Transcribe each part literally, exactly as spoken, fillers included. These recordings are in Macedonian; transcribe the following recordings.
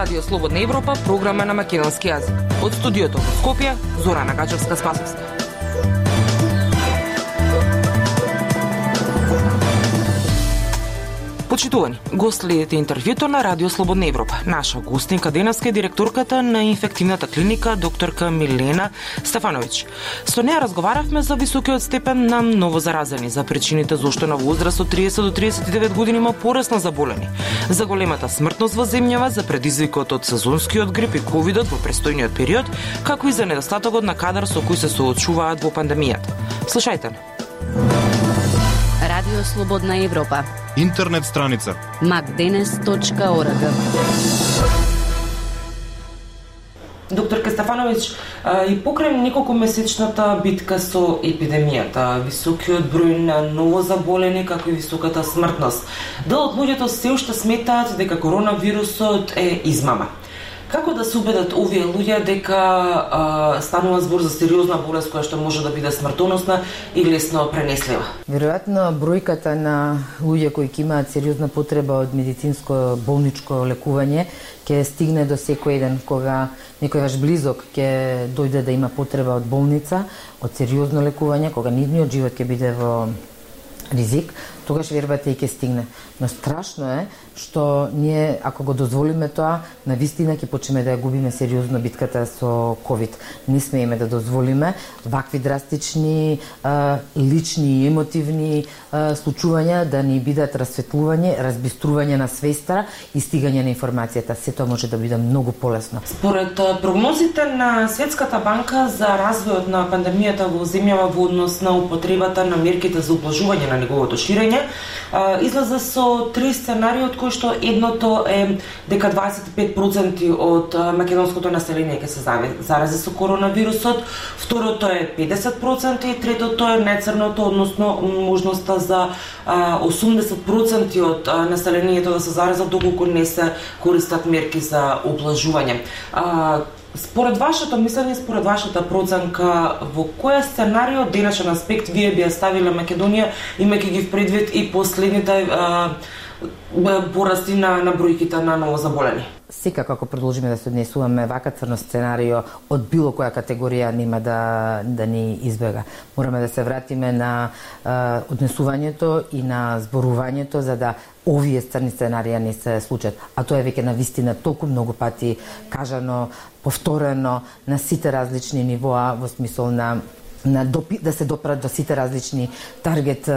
Радио Слободна Европа, програма на македонски јазик. Од студиото во Скопје, Зорана Гачевска-Спасовска. Почитувани, го следите интервјуто на Радио Слободна Европа. Наша гостинка денеска е директорката на инфективната клиника докторка Милена Стефановиќ. Со неја разговаравме за високиот степен на новозаразени, за причините зошто на возраст од триесет до триесет и девет години има пораст на заболени, за големата смртност во земјава, за предизвикот од сезонскиот грип и ковидот во престојниот период, како и за недостатокот на кадар со кој се соочуваат во пандемијата. Слушајте. Радио Слободна Европа. Интернет страница макденес точка орг. Докторка Стефановиќ, и покрај неколку месечната битка со епидемијата, високиот број на новозаболени, како и високата смртност, дел од луѓето се уште сметаат дека коронавирусот е измама. Како да се убедат овие луѓе дека а, станува збор за сериозна болест која што може да биде смртоносна и лесно пренеслива? Веројатно бројката на луѓе кои ќе имаат сериозна потреба од медицинско болничко лекување ќе стигне до секој еден кога некој ваш близок ќе дојде да има потреба од болница, од сериозно лекување, кога нивниот живот ќе биде во ризик, тогаш вербата и ќе стигне. Но страшно е што ние, ако го дозволиме тоа, навистина ќе почнеме да ја губиме сериозно битката со ковид. Не смееме да дозволиме вакви драстични, а, лични и емотивни а, случувања да ни бидат расветлување, разбистрување на свеста и стигање на информацијата. Се тоа може да биде многу полесно. Според прогнозите на Светската банка за развојот на пандемијата во земјава во однос на употребата на мерките за убlažување на неговото ширење, излезе со три сценарии, од кои што едното е дека дваесет и пет проценти од македонското население ќе се зарази со коронавирусот, второто е педесет проценти и третото е најцрното, односно можноста за осумдесет проценти од населението да се заразат доколку не се користат мерки за убlažување. Според вашето мислење, според вашата проценка, во која сценарио денешен аспект вие би ја ставиле Македонија, имајќи ги в предвид и последните а, порасти на, на бројките на новозаболени? Секако, ако продолжиме да се однесуваме вака црно сценарио, од било која категорија нема да, да ни избега. Мораме да се вратиме на а, однесувањето и на зборувањето за да овие црни сценарија не се случат. А тоа е веќе на вистина толку многу пати кажано, повторено на сите различни нивоа, во смисол на на допи, да се допрат до сите различни таргет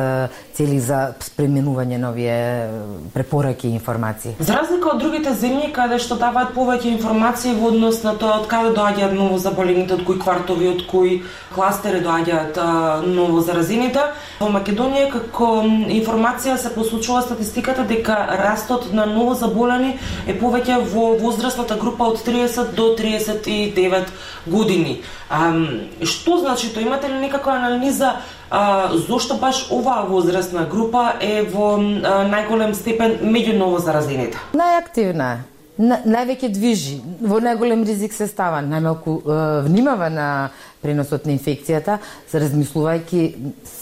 цели за пременување на овие препораки и информации. За разлика од другите земји каде што даваат повеќе информации во однос на тоа од каде доаѓаат новозаболените, од кои квартови, од кои кластери доаѓаат новозаразените, во Македонија како информација се посочува статистиката дека растот на новозаболени е повеќе во возрастната група од триесет до триесет и девет години. А, што значи тоа? Имате ли некаква анализа а, зошто баш оваа возрастна група е во а, најголем степен меѓу новозаразените? Најактивна е. На, највеќе движи, во најголем ризик се става, најмалку е, внимава на преносот на инфекцијата, се размислувајќи,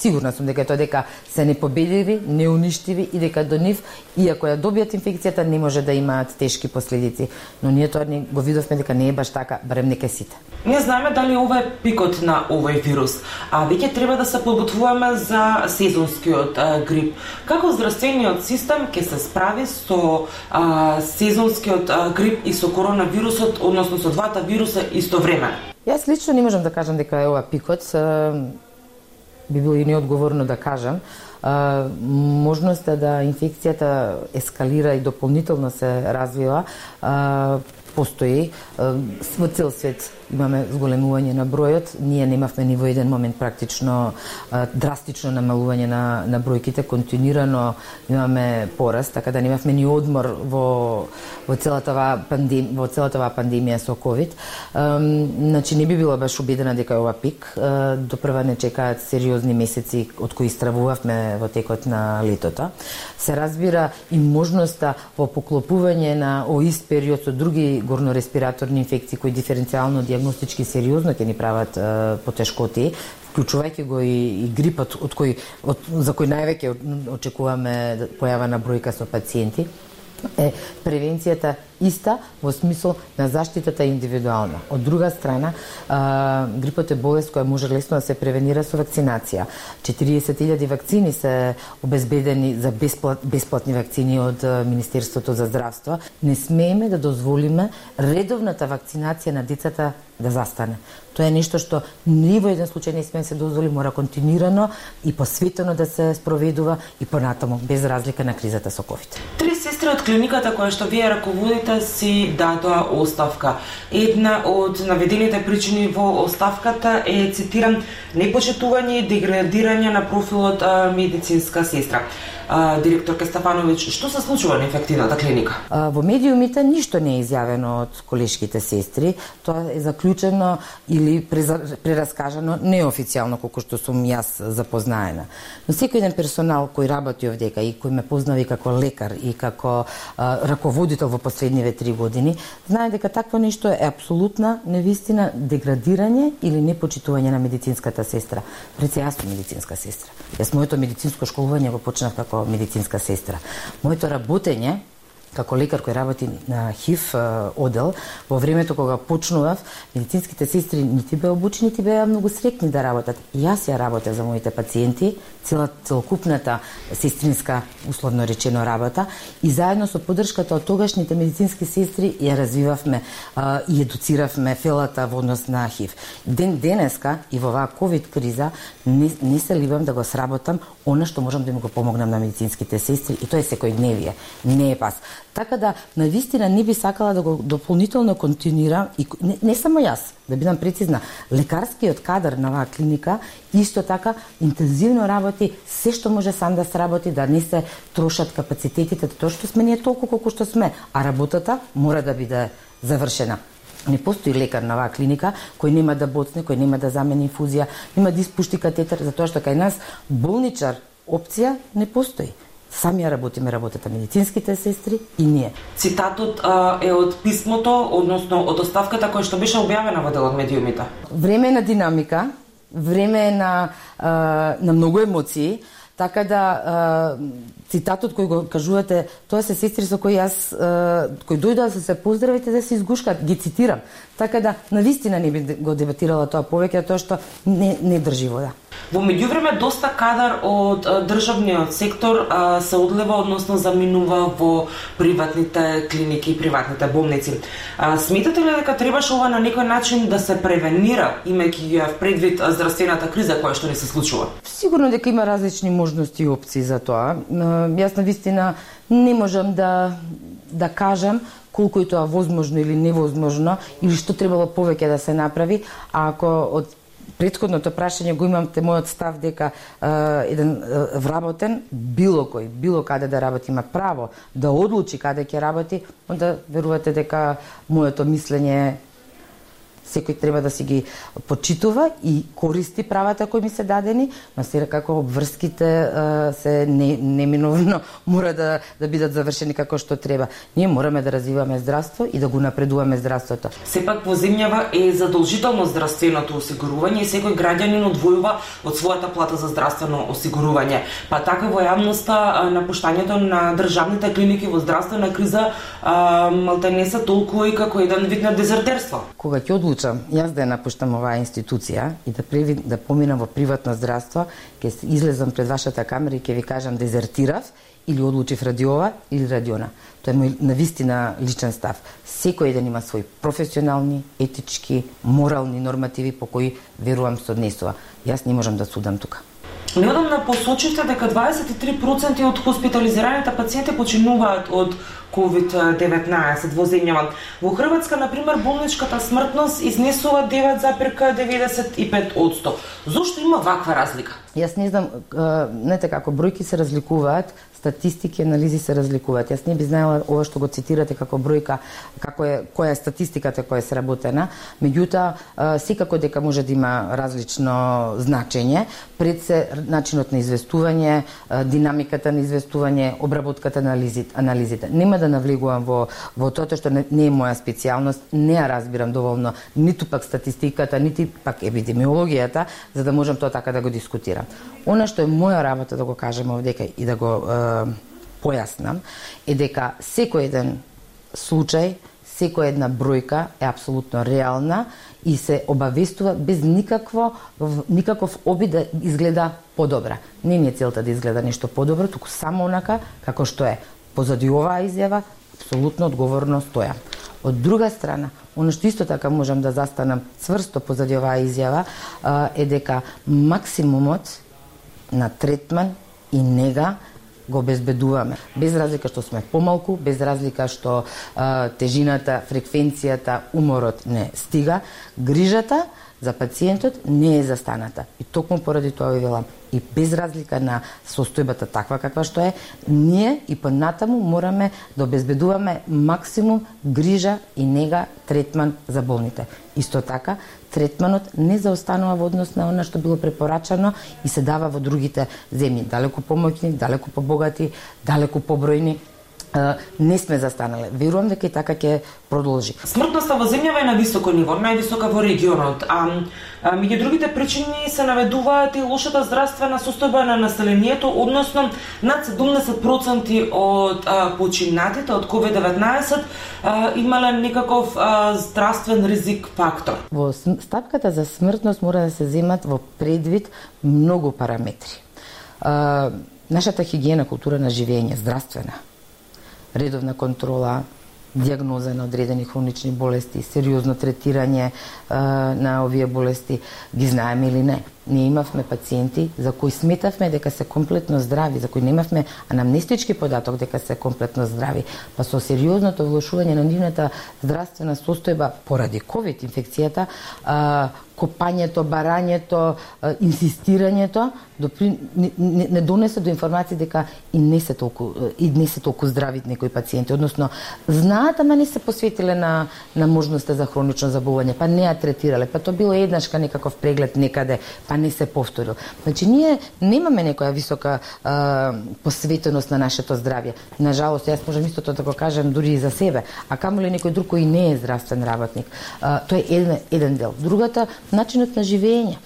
сигурна сум дека тоа дека се непобедливи, неуништиви и дека до нив, иако ја добијат инфекцијата, не може да имаат тешки последици. Но ние тоа не го видовме дека не е баш така, барем нека сите. Не знаеме дали ова е пикот на овој вирус, а веќе треба да се подготвуваме за сезонскиот а, грип. Како здравствениот систем ќе се справи со а, сезонскиот а, грип и со коронавирусот, односно со двата вируса истовремено? Јас лично не можам да кажам дека е ова пикот, би било и неодговорно да кажам. Можноста да инфекцијата ескалира и дополнително се развива постои. Во цел свет имаме зголемување на бројот. Ние немавме ни во еден момент практично драстично намалување на, на бројките. Континуирано имаме пораст, така да немавме ни одмор во, во целата оваа пандем, во целата оваа пандемија со ковид. Значи не би била баш убедена дека е ова пик. До прва не чекаат сериозни месеци од кои стравувавме сме во текот на летото. Се разбира и можноста во поклопување на оист период со други горнореспираторни инфекции кои диференцијално дијагностички сериозно ќе ни прават е, потешкоти, вклучувајќи го и, и грипот од кој од, за кој највеќе очекуваме појава на бројка со пациенти. Е превенцијата иста во смисол на заштитата индивидуална. Од друга страна, а, грипот е болест која може лесно да се превенира со вакцинација. четириесет илјади вакцини се обезбедени за бесплат, бесплатни вакцини од Министерството за здравство. Не смееме да дозволиме редовната вакцинација на децата да застане. Тоа е нешто што ни во еден случај не сме да се дозволи, мора континуирано и посветено да се спроведува и понатаму, без разлика на кризата со ковид. Три сестри од клиниката која што вие раководите си дадоа оставка. Една од наведените причини во оставката е, цитирам, непочитување и деградирање на профилот а, медицинска сестра. А, директорка Стефановиќ, што се случува на инфективната клиника? А, во медиумите ништо не е изјавено од колешките сестри. Тоа е заклучено или прераскажано неофицијално, колку што сум јас запознаена. Но секој еден персонал кој работи овдека и кој ме познави како лекар и како а, раководител во последниве три години, знае дека такво нешто е апсолутна невистина, деградирање или непочитување на медицинската сестра. Пред се јас сум медицинска сестра. Јас моето медицинско школување го почнав како медицинска сестра. Моето работење како лекар кој работи на ХИВ одел, во времето кога почнував, медицинските сестри нити беа обучени, нити беа многу среќни да работат. Јас ја работев за моите пациенти, цела целокупната сестринска, условно речено, работа, и заедно со поддршката од тогашните медицински сестри ја развивавме а, и едуциравме фелата во однос на ХИВ. Ден денеска и во оваа ковид криза не, не се ливам да го сработам она што можам да им го помогнам на медицинските сестри, и тоа е секојдневие, не е пас. Така да, навистина не би сакала да го дополнително континуирам, и не, не само јас, да бидам прецизна, лекарскиот кадар на оваа клиника исто така интензивно работи се што може сам да сработи, да не се трошат капацитетите, тоа што сме ние толку колку што сме, а работата мора да биде завршена. Не постои лекар на оваа клиника кој нема да боцне, кој нема да замени инфузија, нема да испушти катетер, затоа што кај нас болничар опција не постои. Сами ја работиме работата медицинските сестри и ние. Цитатот а, е од писмото, односно од оставката која што беше објавена во делот медиумите. Време на динамика, време на, а, на многу емоции, така да а, цитатот кој го кажувате, тоа се сестри со кои јас, а, кои дојдоа да се поздравите да се изгушкат, ги цитирам. Така да, навистина не би го дебатирала тоа повеќе, тоа што не, не држи вода. Во меѓувреме, доста кадар од а, државниот сектор а, се одлева, односно заминува во приватните клиники и приватните болници. А, сметате ли дека требаше ова на некој начин да се превенира, имајќи ја предвид здравствената криза која што ни се случува? Сигурно дека има различни можности и опции за тоа. Јас навистина не можам да, да кажам колку е тоа возможно или невозможно, или што требало повеќе да се направи, а ако од претходното прашање го имамте мојот став дека е, еден е, вработен, било кој, било каде да работи, има право да одлучи каде ќе работи, онда верувате дека моето мислење секој треба да си ги почитува и користи правата кои ми се дадени, но се како обврските се не, неминовно мора да, да бидат завршени како што треба. Ние мораме да развиваме здравство и да го напредуваме здравството. Сепак во земјава е задолжително здравственото осигурување и секој граѓанин одвојува од својата плата за здравствено осигурување. Па така во јавноста напуштањето на државните клиники во здравствена криза малте не се толку и како еден вид на дезертерство. Кога ќе одлучам јас да ја напуштам оваа институција и да преви, да поминам во приватно здравство, ќе излезам пред вашата камера и ќе ви кажам дезертирав или одлучив ради ова или ради она. Тоа е мој навистина личен став. Секој еден има своји професионални, етички, морални нормативи по кои верувам се однесува. Јас не можам да судам тука. Неодамна посочивте дека дваесет и три проценти од хоспитализираните пациенти починуваат од ковид деветнаесет во земјава. Во Хрватска, например, болничката смртност изнесува девет запирка деветдесет и пет одсто. Зошто има ваква разлика? Јас не знам, знаете како, бројки се разликуваат, статистики, анализи се разликуваат. Јас не би знаела ова што го цитирате како бројка, како е, која е статистиката која е сработена, меѓутоа секако дека може да има различно значење, пред се начинот на известување, динамиката на известување, обработката на анализите. Нема да навлегувам во, во тоа што не, не е моја специјалност, не ја разбирам доволно, ниту пак статистиката, нити пак епидемиологијата, за да можам тоа така да го дискутирам. Она што е моја работа да го кажем овдека и да го е, појаснам, е дека секој еден случај, секоја една бројка е апсолутно реална и се обавестува без никакво, никаков обид да изгледа подобра. Не ни е целта да изгледа нешто подобро, туку само онака како што е. Позади оваа изјава, апсолутно одговорно стојам. Од друга страна, оно што исто така можам да застанам цврсто позади оваа изјава е дека максимумот на третман и нега го обезбедуваме. Без разлика што сме помалку, без разлика што а, тежината, фреквенцијата, уморот не стига, грижата за пациентот не е застаната. И токму поради тоа ви велам, и без разлика на состојбата таква каква што е, ние и понатаму мораме да обезбедуваме максимум грижа и нега, третман за болните. Исто така, третманот не заостанува во однос на она што било препорачано и се дава во другите земји. Далеку помоќни, далеку побогати, далеку побројни. Не сме застанале. Верувам дека и така ќе продолжи. Смртноста во земјава е на високо ниво, највисока во регионот. А, а меѓу другите причини се наведуваат и лошата здравствена состојба на населението, односно над седумдесет проценти од а, починатите од ковид деветнаесет а, имале некаков а, здравствен ризик фактор. Во стапката за смртност мора да се земат во предвид многу параметри. А, нашата хигиена, култура на живење, здравствена, редовна контрола, дијагноза на одредени хронични болести, сериозно третирање а, на овие болести, ги знаеме или не. Ние имавме пациенти за кои сметавме дека се комплетно здрави, за кои немавме анамнестички податок дека се комплетно здрави, па со сериозното влошување на нивната здравствена состојба поради ковид инфекцијата, а, копањето, барањето, а, инсистирањето допри, не, не, не донесе до информација дека и не се толку и не се толку здрави некои пациенти, односно знаат, ама не се посветиле на на можноста за хронично заболување, па не ја третирале, па тоа било еднашка некаков преглед некаде, па не се повторил. Значи, ние немаме некоја висока а, посветеност на нашето здравје. Нажалост, јас можам истото да го кажем дури и за себе, а камоли некој друг кој не е здравствен работник. А, тоа е еден, еден дел. Другата, начинот на живење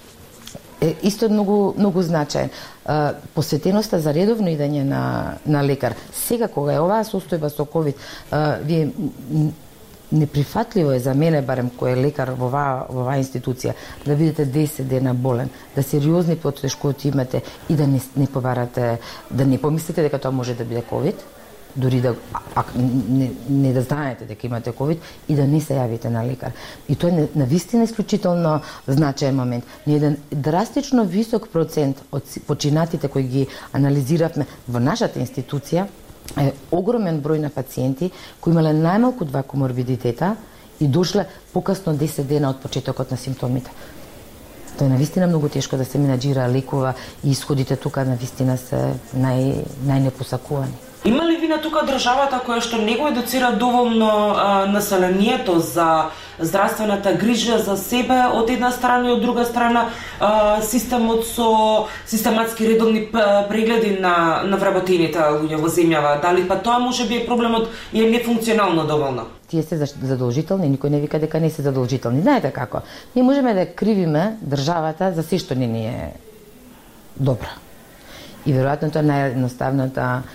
е исто многу, многу значаен. А, посветеноста за редовно идење на, на лекар. Сега, кога е оваа состојба со ковид, а, вие неприфатливо е за мене, барем кој е лекар во оваа, во оваа институција, да бидете десет дена болен, да сериозни потешкоти имате и да не, не побарате, да не помислите дека тоа може да биде ковид, дури да а, не, не да знаете дека имате ковид и да не се јавите на лекар. И тоа е навистина исклучително значаен момент. Не еден драстично висок процент од починатите кои ги анализиравме во нашата институција е огромен број на пациенти кои имале најмалку два коморбидитета и дошле покасно десет дена од почетокот на симптомите. Тоа е навистина многу тешко да се менаџира, лекува и исходите тука навистина се нај, најнепосакувани. Има ли вина тука државата која што не го едуцира доволно а, населението за здравствената грижа за себе од една страна и од друга страна а, системот со систематски редовни прегледи на на вработените луѓе во земјава? Дали па тоа можеби е проблемот и е нефункционално доволно? Тие се задолжителни, никој не вика дека не се задолжителни. Знаете како? Ние можеме да кривиме државата за се што не ни е добро. И веројатно тоа наједноставната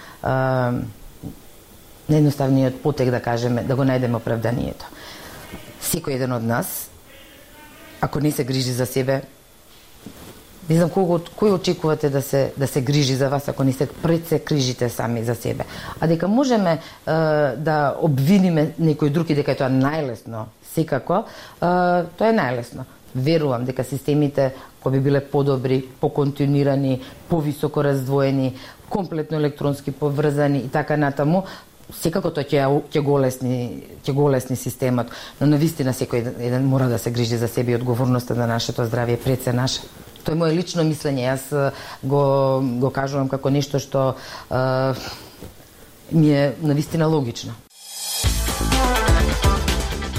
наједноставниот потек, да кажеме, да го најдеме оправданието. Секој еден од нас, ако не се грижи за себе, не знам кого, кој очекувате да се да се грижи за вас ако не се пред се грижите сами за себе. А дека можеме е, да обвиниме некој друг и дека е тоа најлесно, секако, е, тоа е најлесно. Верувам дека системите кои би биле подобри, поконтинуирани, повисоко раздвоени, комплетно електронски поврзани и така натаму, секако тоа ќе ќе голесни, ќе голесни системот, но навистина секој еден мора да се грижи за себе и одговорноста на нашето здравје пред се наше. Тоа е моје лично мислење, јас го го кажувам како нешто што е, ми е навистина логично.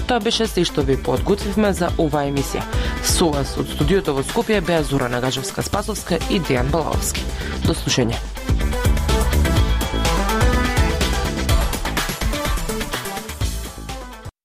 Тоа беше се што ви подготвивме за оваа емисија. Со вас од студиото во Скопје беа Зора Нагажевска-Спасовска и Дејан Балаовски. До слушање.